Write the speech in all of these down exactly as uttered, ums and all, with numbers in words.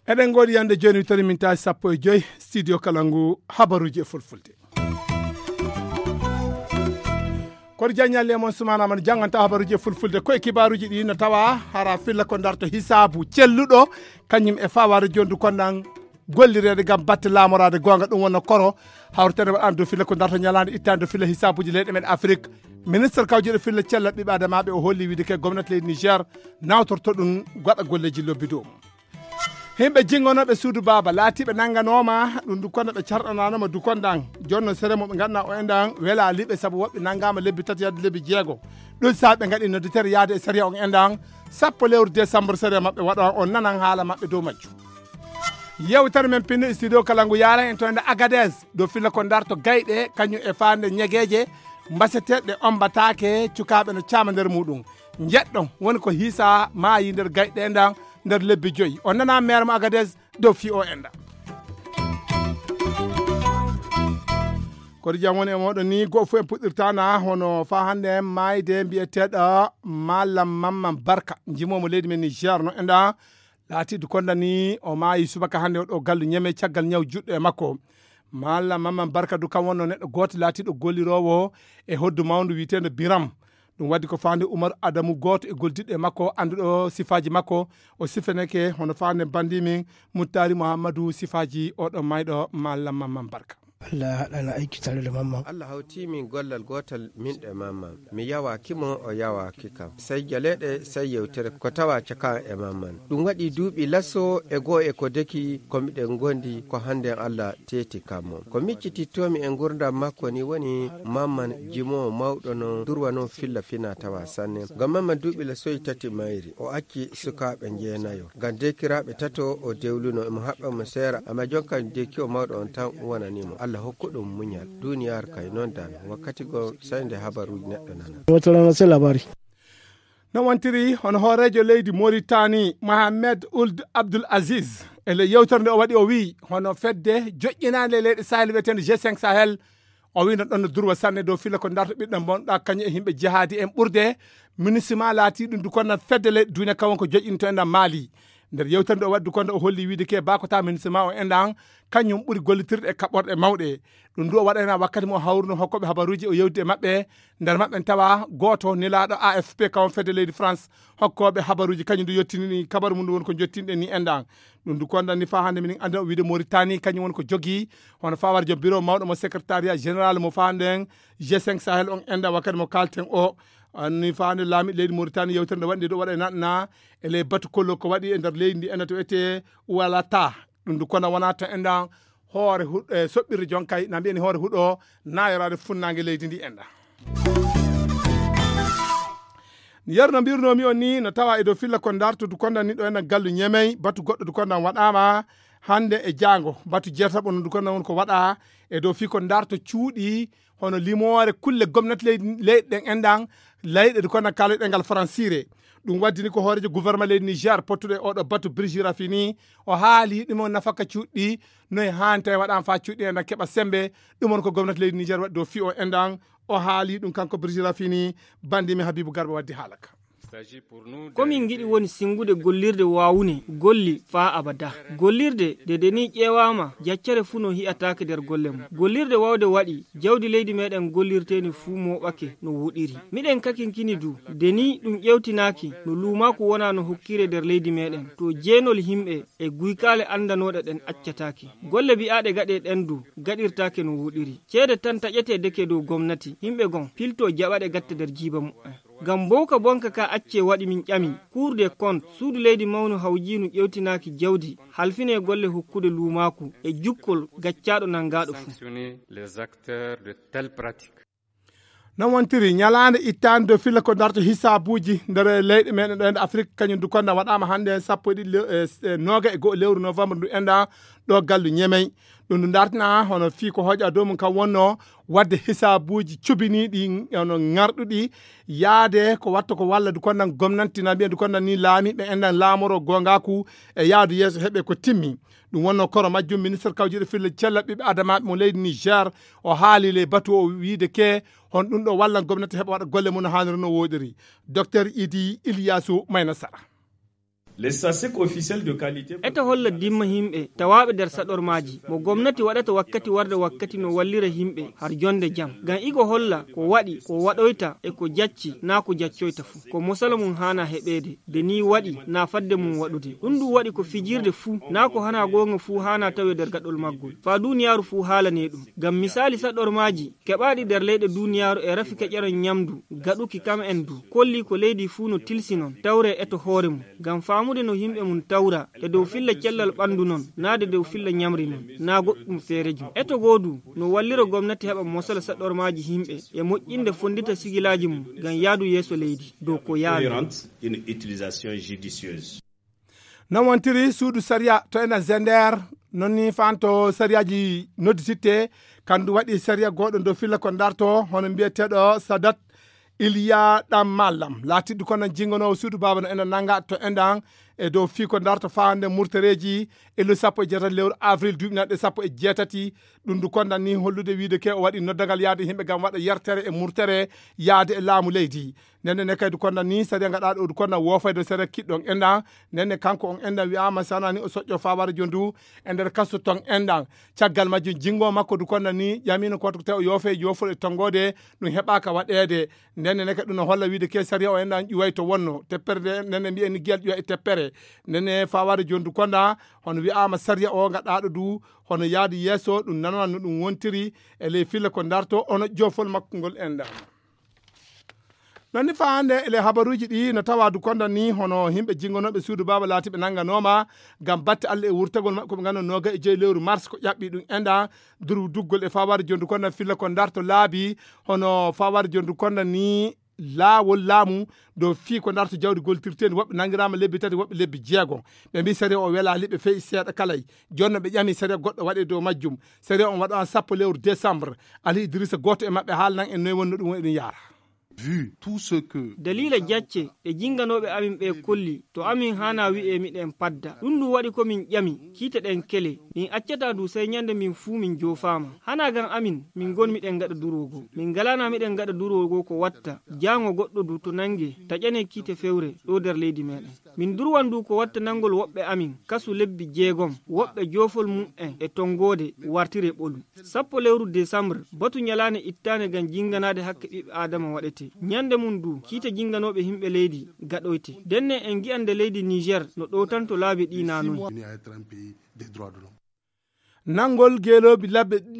Eɗen ngoodi yande jooni wittori min taasi sappo e joy studio kala ngu habaruuji e fulfulde. Koto jaññalle e mon sumanama no jannganta habaruuji e fulfulde koye kibaruuji ɗi no tawa hara filla ko darto hisaabu celluɗo kañum e fawaade jondu kondan gollireede ngam batte laamoraade goonga ɗum wonno koro hawritene waɗande dow filla ko darto ñalaande ittande dow filla hisaabuuji leyɗe men afrik. Ministre kawjuɗo filla cella ɓiɓɓe adamaaɓe o holli wiide ke gomnati leydi niger nawtorto ɗum waɗa golleeji lobbi dow mum. Himɓe jingonooɓe suudu baaba laatiiɓe nannganooma ɗum dukonda ɓe carɗanaanoma dukondan jonno sere mo ɓe ngannduɗaa o endan welaaliɓe sabu woɓɓe nanngaama lebbi tati yadde lebbi jeego. Ɗum saabi ɓe ngaɗi nodditere yaade e sariya on endan sappo lewru décembre sariya maɓɓe waɗa on nanan haala maɓɓe dow majju. Yewtere men pinno e studio kala ngu yaran en to enda agades dow filla ko darto gayɗe kañum e faande ñegeeje mbaseteeɗe ombataake cukaaɓe no caama nder muɗum. Njeɗɗon woni ko hiisa maayi nder gayɗe endan nder lebbi joyi. On nana maire mo agades dow fi o enda. Koto jam woni e moɗon ni goto fof en puɗɗirtana hono fa hannde en maayde mbiyeteɗo mallam mamman barka jimomo leydi men niger no enda laatiɗo kondani o maayi subaka hannde oɗo gallu ñeme caggal ñaw juɗɗo e makko. Mallam mamman barka du kam wonno neɗɗo gooto laatiɗo gollirowo e hoddu mawndu wiyeteendo biram. Ɗum waddi ko faande umaru adamu gooto e goldiɗɗo e makko annduɗo sifaaji makko. O sifaneke hono faande bandimin muttari muhammadu sifaaji oɗo mayɗo mallam mamman barka. Allah haɗana aiki tare da mamman. Allah hawti min gollal gotal min ɗo e mamman. Mi yawaaki mo o yawaaki kam. Sey jaleɗe sey yewtere ko tawa caka e mamman. Ɗum waɗi duuɓi laso e goo e ko deki ko miɗen gondi ko hannden Allah teeti kam mo. Ko miccitittomi e ngurdam makko ni woni mamman jimowo mawɗo no durwa non filla fina tawa sanne. Ngam mamman duuɓi lasoyi tati mayri o acci sukaaɓe njeenayo. Ngam dekiraaɓe tato o dewluno emo haɓɓa mo seera amma jonkan dekiyo mawɗo on tan wonani mo. Allah hokku ɗum muñal. Duniyaaru kay non dan wakkati goo sey nde habaruuji neɗɗo nana. Wata rana sai labari. No wontiri hono hooreejo leydi moritani mohamed uld abdul aziz e nder yewtere nde o waɗi o wiyi hono fedde joƴƴinaande leyɗe sahel wiyeteende g cinq sahel. O wino ɗon no durwa sanne dow filla ko darto ɓiɗɗo bonɗa kañum e yimɓe jihaadi en ɓurde. Minisima laati ɗum du konna fedde leyɗe duniya kawon ko joƴƴinto e nder maali. Nder yewtere nde o waddi konde o holli wiide ke bakota minisima o endan kañum ɓuri gollitirde e kaɓɓorɗe mawɗe. Ɗum du o waɗayna wakkati mo hawruno hokkoɓe habaruuji o yewdi e maɓɓe. Nder maɓɓe en tawa gooto nelaaɗo afp kawon fedde leydi france. Hokkoɓe habaruuji kañum du yettinini kabaru mum woni ko jottinɗe ni endan. Ɗum du kondan ni fa hannde minen annda o wiide moritani kañum woni ko jogi hono fawar joom bureau mawɗo mo secrétariat général mo fa nden g cinq sahel on enda wakkati mo kalten o. Anni fa hannde laami leydi moritani yewtere nde waɗi nde ɗo waɗa e naɗna e ley batu kollo ko waɗi e nder leydi ndi enda to wiyete walata. Ɗum du kona wona to endan hoore huɗo e soɓɓirde jonkay na mbiyani hoore huɗo nayoraade funnaange leydi ndi enɗa. Yeru no mbirnomi on ni no tawa e dow filla ko darto dukondan ni ɗo enɗan gallu ñemey batu goɗɗo dukondan waɗama hannde e jaango batu jeetaɓo no dukondan woni ko waɗa e dow fii ko darto cuuɗi hono limoore kulle gomnati leyɗe ɗen enɗan layɗe dukondan kala ɗengal faransire. Ɗum waddini ko hooreejo gouvernement leydi niger pottuɗo e oɗo batu brigier rafini o haali ɗum o nafaka cuuɗɗi noye haanta e waɗama fa cuuɗɗi enɗan keɓa sembe. Ɗum on ko gomnati leydi niger waɗi dow fii o enɗan o haali ɗum kanko brigier rafini bandimi habibu garba waddi haalaka. Ko min ngiɗi woni sinngude gollirde waawune golli faa abada. Gollirde de de nii ƴeewaama jaccere fuu no hi'ataake nder golle mum. Gollirde waawde waɗi jawdi leydi meeɗen gollirteeni fuu mooɓake no woɗiri. Miɗen kakinkini du de nii ɗum ƴeewtinaaki no luumaaku wonaa no hokkiree nder leydi meeɗen to jeenol yimɓe e guykaale anndanooɗe ɗen accataake. Golle bi'aaɗe gaɗee ɗen du gaɗirtaake no woɗiri. Ceede tan taƴetee deke dow gomnati yimɓe gon piltoo jaɓa ɗe gatta nder jiiba muɓɓen. Ngam mbowka bonka ka accee waɗi min ƴami kuur de kont suudu leydi mawnu hawjiinu ƴewtinaaki jawdi halfinee golle hokkude luumaaku e jukkol gaccaaɗo nanngaaɗo fuu. Non wontiri ñalaande ittaande dow filla ko darto hisaabuuji nder leyɗe meɗen ɗo hende afrik kañum du konda waɗaama hannde sappo e ɗiɗi noga e go'o lewru novembre ndu enɗa. ɗo gallu ñemey. Ɗum ndu dartina hono fii ko hoƴa dow mum kam wonno waɗde hisaabuuji cubiniiɗi, hono ŋarɗuɗi, yaade ko watta ko walla du konnan gomnanti na mbiya du konnan ni laamiiɓe enɗan laamoro goongaaku e yaadu yeeso heɓe ko timmi. Ɗum wonno koro majjum ministre kawjiiɗo filla cella ɓiɓɓe adamaaɓe mo leydi Niger, o haali ley batu o wiide ke hon ɗum ɗo wallan gomnati heɓa waɗa golle mum no haaniri no wooɗiri. Docteur Idi Iliyasu Mayna Sara. Les statistiques officielles de qualité. Eto holla dimma yimɓe tawaaɓe nder saɗormaaji mo gomnati waɗata wakkati warde wakkati no wallira yimɓe har jonde jam. Ngam igo holla ko waɗi, ko waɗoyta e ko jacci naa ko jaccoyta fuu. Ko mosala mum haana heɓeede, de nii waɗi naa fadde mum waɗude. Ɗum ɗum waɗi ko fijirde fuu, naa ko hanaa goonga fuu haana tawe nder gaɗol maggol. Faa duuniyaaru fuu haalane ɗum. Ngam misaali saɗormaaji keɓaaɗi nder leyɗe duuniyaaru e rafi keƴeron ñamdu, gaɗuki kam en du, kolli ko leydi fuu no tilsi non, tawre eto hoore mum. Ngam faamude no yimɓe mum tawra, e dow filla cellal ɓanndu non, naa de dow filla ñamri non, naa goɗɗum feere jum. Eto goo du, no walliro gomnati heɓa mosala saɗormaaji yimɓe, e moƴƴinde fonndita sigilaaji mum, ngam yaadu yeeso leydi, dow ko yaawi. Non wontiri suudu sariya to ena Zender, non ni fanto sariyaaji noddititte, kandu waɗi sariya gooɗo dow filla ko darto, hono mbiyeteeɗo Sadat Iliya Ɗam Mallam, laatiɗo kono jingonoowo suudu baaba no ena nanga to enɗan e dow fii ko darto faande murtareeji illu sappo e jeetati lewru avril duuɓi nanɗe sappo e jeetati. Ɗum du kondan ni hollude wiide ke o waɗi noddagal yaade yimɓe ngam waɗa yertere e murtere yaade e laamu leydi. Nenne ne kay du kondan ni sariya ngaɗa ɗo du kondan woofayde sariya kiɗɗon enɗan. Nenne kanko on enɗan wi'ama sanani o soƴƴo fawara jondu e nder kaso ton enɗan. Caggal majjum jingo makko du kondan ni ƴamino ko te o yoofe yoofol e tongode ɗum heɓaka waɗede. Nenne ne kay ɗum no holla wiide ke sariya o enɗan ƴuway to wonno teppere nde nenne mbiyen ni giyal ƴuwa e teppere. Nenne fawara jondu kondan hono wi'ama sariya o ngaɗaɗo du hono yaadi yeeso ɗum nanana no ɗum wontiri e ley filla ko darto hono joofol makko ngol enɗan. Non ni faa hannde e ley habaruuji ɗi no tawa du kondan ni hono yimɓe jingonooɓe suudu baaba laatiɓe nannganooma ngam batte Allah e wurtagol maɓɓe ko ɓe ngannduno nooga e joyi lewru mars ko ƴaɓɓi ɗum enɗan durduggol e fawaade jondu kondan filla ko darto laabi hono fawaade jondu kondan ni laawol laamu dow fii ko darto jawdi goltirteeni woɓɓe nanngiraama lebbi tati woɓɓe lebbi jeego. Ɓe mbii sariya o welaali ɓe feyi seeɗa kalay. Jooni no ɓe ƴami sariya goɗɗo waɗe dow majjum. Sariya on waɗo an sappo lewru décembre. Ali Idrissa gooto e maɓɓe haalnan en noy wonno ɗum woni ɗum yaara. Daliila jacce ɗe jinganooɓe amin ɓee kolli to amin haanaa wi'ee miɗen padda. Ɗum ɗum waɗi ko min ƴami kiite ɗen kele. Min accataa du sey ñande min fuu min joofaama. Hanaa gam amin min ngon miɗen gaɗa durwo goo. Min ngalaanaa miɗen gaɗa durwo goo ko watta jaango goɗɗo du to nanngee taƴanee kiite fewre ɗoo nder leydi meeɗen. Min durwan du ko watta nanngol woɓɓe amin kasu lebbi jeegom, woɓɓe joofol mum'en e tonngoode wartiree ɓolu. Sappo lewru desambre batu ñalaande ittaande gam jinnganaade hakke ɓiɓɓe aadama waɗetee. Ñande mum du kiite jinnganooɓe himɓe leydi gaɗoyte. Ndenne en ngi'an nde leydi Niijeer no ɗowtanto laabi ɗii naa noy. Nanngol geeloobi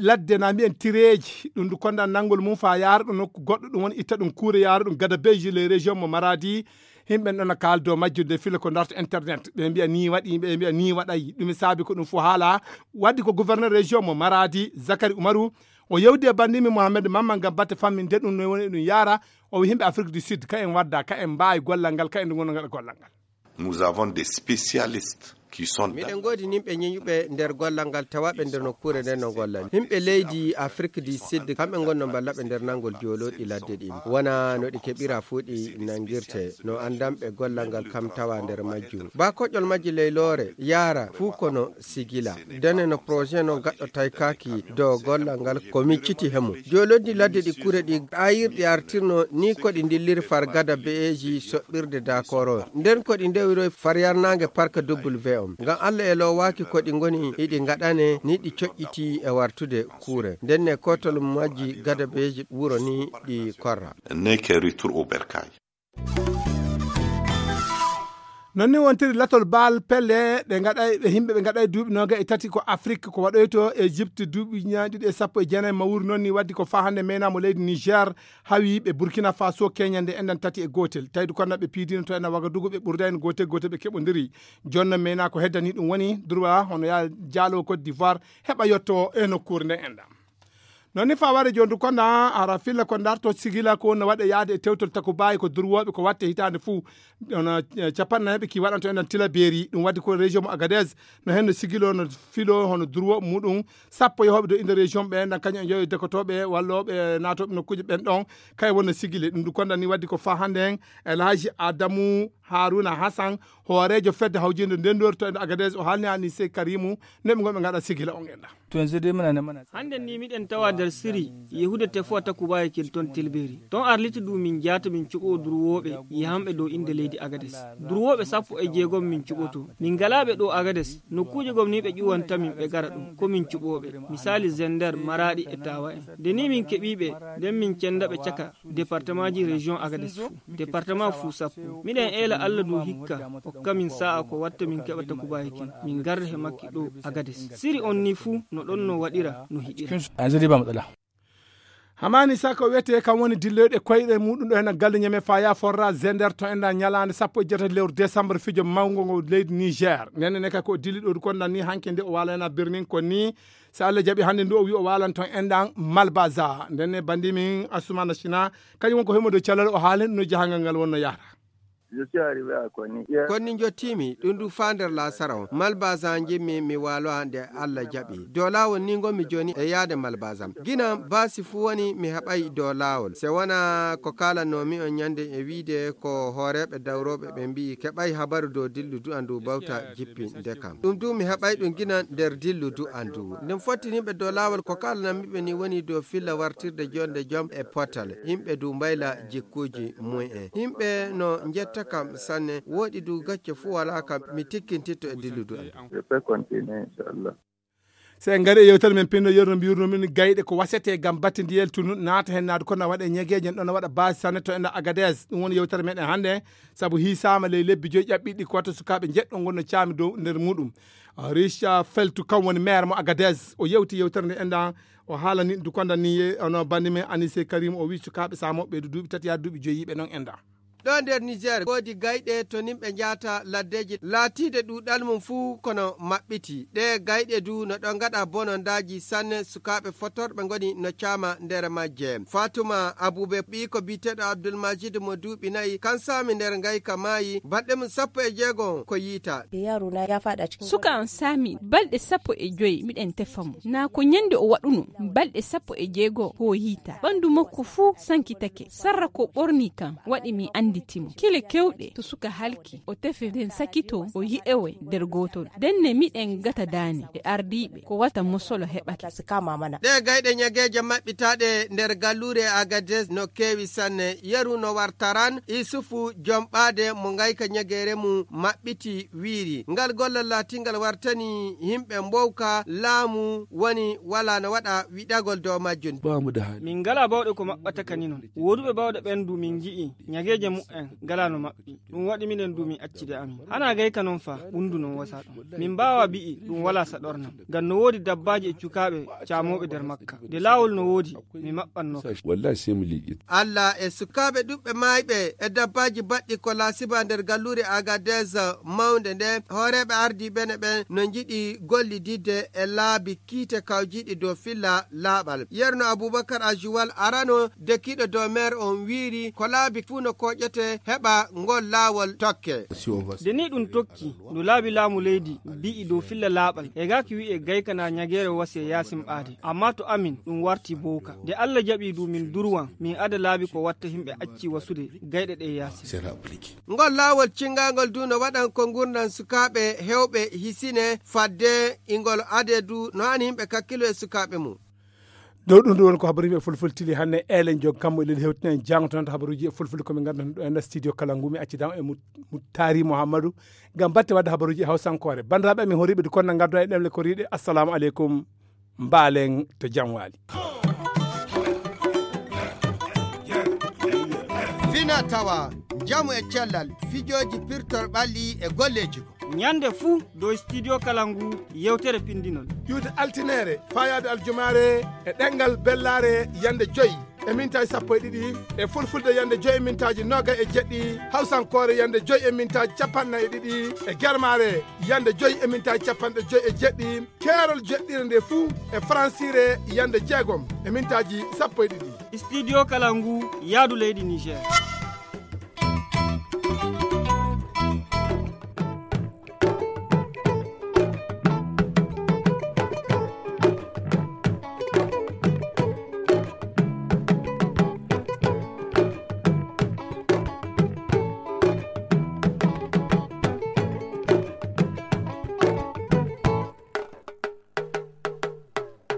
ladde na mbiyen tireeji ɗum du kondan nanngol mum faa yaara ɗum nokku goɗɗo ɗum woni itta ɗum kuure yaara ɗum gada beji les régions mo maradi. Yimɓe ɗon no kaaldo majjude fila ko darto internet ɓe mbiya ni waɗi ɓe mbiya ni waɗay ɗum saabi ko ɗum fof haala. Waddi ko gouverneur région mo maradi Zakari Umaru o yewdi e bandimi Mohamed Mamma ngam batte famminde ɗum no woni ɗum yaara. O wi yimɓe Afrique du Sud ka en wadda ka en mbaawi gollal ngal ka en ngonno ngaɗa gollal ngal. Nous avons des spécialistes qui sont dans miɗen ngoodi nimɓe ñeñuɓe nder gollal ngal tawaɓe nder nokkuure nden no gollani. Himɓe leydi Afrique du Sud kamɓe ngonno mballaɓe nder nanngol joolooɗi ladde ɗin wona no ɗi keɓira fuu ɗi nanngirte no anndanɓe gollal ngal kam tawa nder majjum. Ba koƴol majji leyloore yaara fuu kono sigila. Dene no projet no gaɗɗo taykaaki dow gollal ngal ko micciti hemo. Joolooɗi ladde ɗi kure ɗi ayirɗi artirno ni ko ɗi ndilliri far gada be'eeji soɓɓirde dakoro nden ko ɗi ndewiroy far yarnaange parka w m ngam allah e loowaaki ko ɗi ngoni iɗi ngaɗane ni ɗi coƴƴiti e wartude kuure ndenne kotol majji gada beeji wuro ni ɗi korra. Neke retour au bercail. Non ni wontiri latol baal pelle ɗe gaɗay ɓe yimɓe ɓe gaɗay duuɓi noga e tati ko Afrique ko waɗoyto Egypte duuɓi ñaɗiɗi e sappo e jeenayi mawuri noon ni waddi ko faa hannde meyna mo leydi Niger hawi ɓe Burkina Faso keñande enɗan tati e gootel tawde kono ɓe piidino to ena Wagadugu ɓe ɓurda en gootel gootel ɓe keɓodiri. Jooni noon meyna ko heddani ɗum woni droit hono ya jaalo Côte d'Ivoire heɓa yetto e nokkuure nde enɗan. Noon ni faware jondu konda ara filla ko darto sigila ko no waɗa yaade e tewtol takubayi ko durwoɓe ko watte hitaande fuu. Ono capannaɓe ki waɗanto enɗan tilaberi ɗum waddi ko région mo agadez. No henno sigilo no filo hono durwoɓe muɗum sappo yohoɓe do inde région ɓe enɗan kañum e joyo dekotoɓe walloɓe natoɓe nokkuji ɓen ɗon. Kay wonno sigile ɗum du konda ni waddi ko fa hande en, elhaji adamu haruna hasan, hooreejo fedde hawjinde ndendorto e agadez o haalni ani sey karimu. Neɓe gonɓe ngaɗa sigila on enɗan. Hannde ni miɗen tawa nder siri yehude tefowa takubaye kel ton tilberi ton arliti du min jaata min cuɓo durwooɓe. Yahanɓe dow innde leydi agades durwooɓe sappo e jeegom min cuɓoto. Min ngalaaɓe ɗo agades nokkuuje gom ni ɓe ƴuwanta min ɓe gara ɗum ko min cuɓooɓe. Misaali zender maraaɗi e tawa en nde ni min keɓiiɓe nden min cenda ɓe caka departemaaji région agades fuu departement fuu sappo. Miɗen eela allah du hikka hokka min sa'a ko watta min keɓa takubaye kin min garda he makki ɗo agades. Siri on ni fuu no ɗon no waɗira no hiɗira. Hamani sako wiyete kam woni dilloyɗo e koyɗe muɗum ɗo hena galle ñame faya forra zender to enɗa ñalande sappo e jeetati lewru décembre fijo mawngo ngo leydi niger nene ne kay ko dilli ɗo kon nan ni hanke nde o wala hena birmin kon ni. So allah jaaɓi hannde ndu o wi o walan ton enɗan malbaza ndenne bandi min asumana sina. Kañum won ko himo dow calal o haalen no jahangal ngal wonno yahata. Konni jottimi ɗum ɗum faa nder laasara on malbazan jimmi mi waalowa nde allah jaɓi dow laawol ni ngonmi jooni e yaade malbazan ginan baasi fuu woni mi heɓay dow laawol se wona ko kaalannomi on ñande e wiide ko hooreeɓe dawrooɓe ɓe mbi'i keɓay habaru dow dillu du'a ndu bawta jippi ndekam ɗum du mi heɓay ɗum ginan nder dillu du'a ndu ndin fottiniɓe dow laawol ko kaalananmiɓe ni woni dow filla wartirde jonde jom e potal yimɓe du mbayla jikkuuji mu'en yimɓe no njetta kam sanne wooɗi du gacce fuu walaa kam mi tikkintitto e dilludu am. Se en ngari e yewtere men pinno yerno mbiyurno min gayɗe ko wasete gam batte ndiyel tunu naata hen naadu kono waɗa e ñegeeje en ɗon waɗa base sanne to ena agades ɗum woni yewtere meɗen hannde. Sabu hiisaama ley lebbi joyi ƴaɓɓiɗi ko watta sukaaɓe njeɗɗo ngonno caami dow nder muɗum. Richa feltu kam woni maire mo agades o yewti yewtere nde enɗan o haalani dukonda ni ono bandi men anise karim o wi sukaaɓe samoɓe ɓeydu duuɓi tati yaa duuɓi joyi yiɓe noon enɗan. Ɗo nder niger woodi gayɗe to nimɓe njaata laddeeji laatiide ɗuuɗal mum fuu kono maɓɓiti ɗe gayɗe du no ɗo ngaɗa bonondaaji sanne sukaaɓe fotorɓe ngoni no caama nder majje. Fatuma abube ɓiiko biyeteeɗo abdulmajid mo duuɓi nayi kan saami nder ngayka maayi balɗe mum sappo e jeego ko yiita. Suka am saami balɗe sappo e joyi miɗen tefa mo naa ko ñande o waɗuno balɗe sappo e jeego hooyiita ɓanndu makko fuu sankitake sarra ko ɓorni kam waɗi mi annditi mo kile kewɗe to suka halki o tefe nden sakito o yi'ewe nder gootol denne miɗen gata daane e ardiiɓe ko wata mosolo heɓata. Ɗe gayɗe ñageeje maɓɓitaaɗe nder galluure agades no keewi sanne yeru no wartaran isufu jom ɓaade mo ngayka ñageere mum maɓɓiti wiiri ngal gollal laatingal wartani yimɓe mbowka laamu woni wala no waɗa wiɗagol dow majjum. Min ngala bawɗe ko maɓɓata kaninon woduɓe bawɗe ɓendu min ngi'i ñageeje mu'en ngala no maɓɓi ɗum waɗi miɗen du min accide amin hana gayka non fa ɓundu non wasa ɗum min mbawa bi'i ɗum wala saɗornam ngam no woodi dabbaaji e cukaaɓe caamoɓe nder makka nde laawol no woodi mi maɓɓanno. Wallahi sai mu liƙi. Allah e sukaaɓe ɗuɓɓe maayɓe e dabbaaji baɗɗi ko laasiba nder galluure agadez mawnde nde hooreeɓe ardiiɓe ne ɓen no njiɗi gollididde e laabi kiite kawjiiɗi dow filla laaɓal yerno abubakar ajuwal arano dekiiɗo dow meer on wiiri ko laabi fuu no kooƴete heɓa ngol laawol tokke. Nde ni ɗum tokki no laabi laamu leydi mbi'i dow filla laaɓal e gaaki wi'e gaykana ñageere wasi e yaasin ɓaade amma to amin ɗum warti bowka nde allah jaɓi du min durwan min ada laabi ko watta yimɓe acci wasude gayɗe ɗe yaasin. Ngol laawol cinngangol du no waɗan ko ngurndan sukaaɓe heewɓe hisine fadde ingol ade du no hani yimɓe kakkilo e sukaaɓe mum. Dow ɗum ɗum woni ko habaruji e fulfulde tili hannde elen jog kammo e lel hewtinen jangto noon habaruji e fulfulde komin ngannduɗen ɗo enna studio kala ngumi accidan e muttari mouhammadou ngam batte wadde habaruji e hawsankore banndiraaɓe amin horiɓe du konna ngaddo e ɗemle koriɗe assalamu aleykum. Mbaalen to jam waali. Fina tawa njamu e cellal fijooji pirtol ɓalli e golleeji goo. Ñande fuu dow studio kala ngu yewtere pindinol. Ƴuwde altineere faayaade aljumaare e ɗemngal bellaare yande joyi. e mintaaji sappo e ɗiɗi, e fulfulde yande joyi e mintaaji noga e jeɗɗi, hawsankoore yande joyi e mintaaji capanɗe nayi e ɗiɗi, e germaare yande joyi e mintaaji capanɗe joyi e jeɗɗi, keerol jeɗɗire nde fuu e faransire yande jeegom e mintaaji sappo e ɗiɗi. Studio Kalangu, yaadu leydi Niger.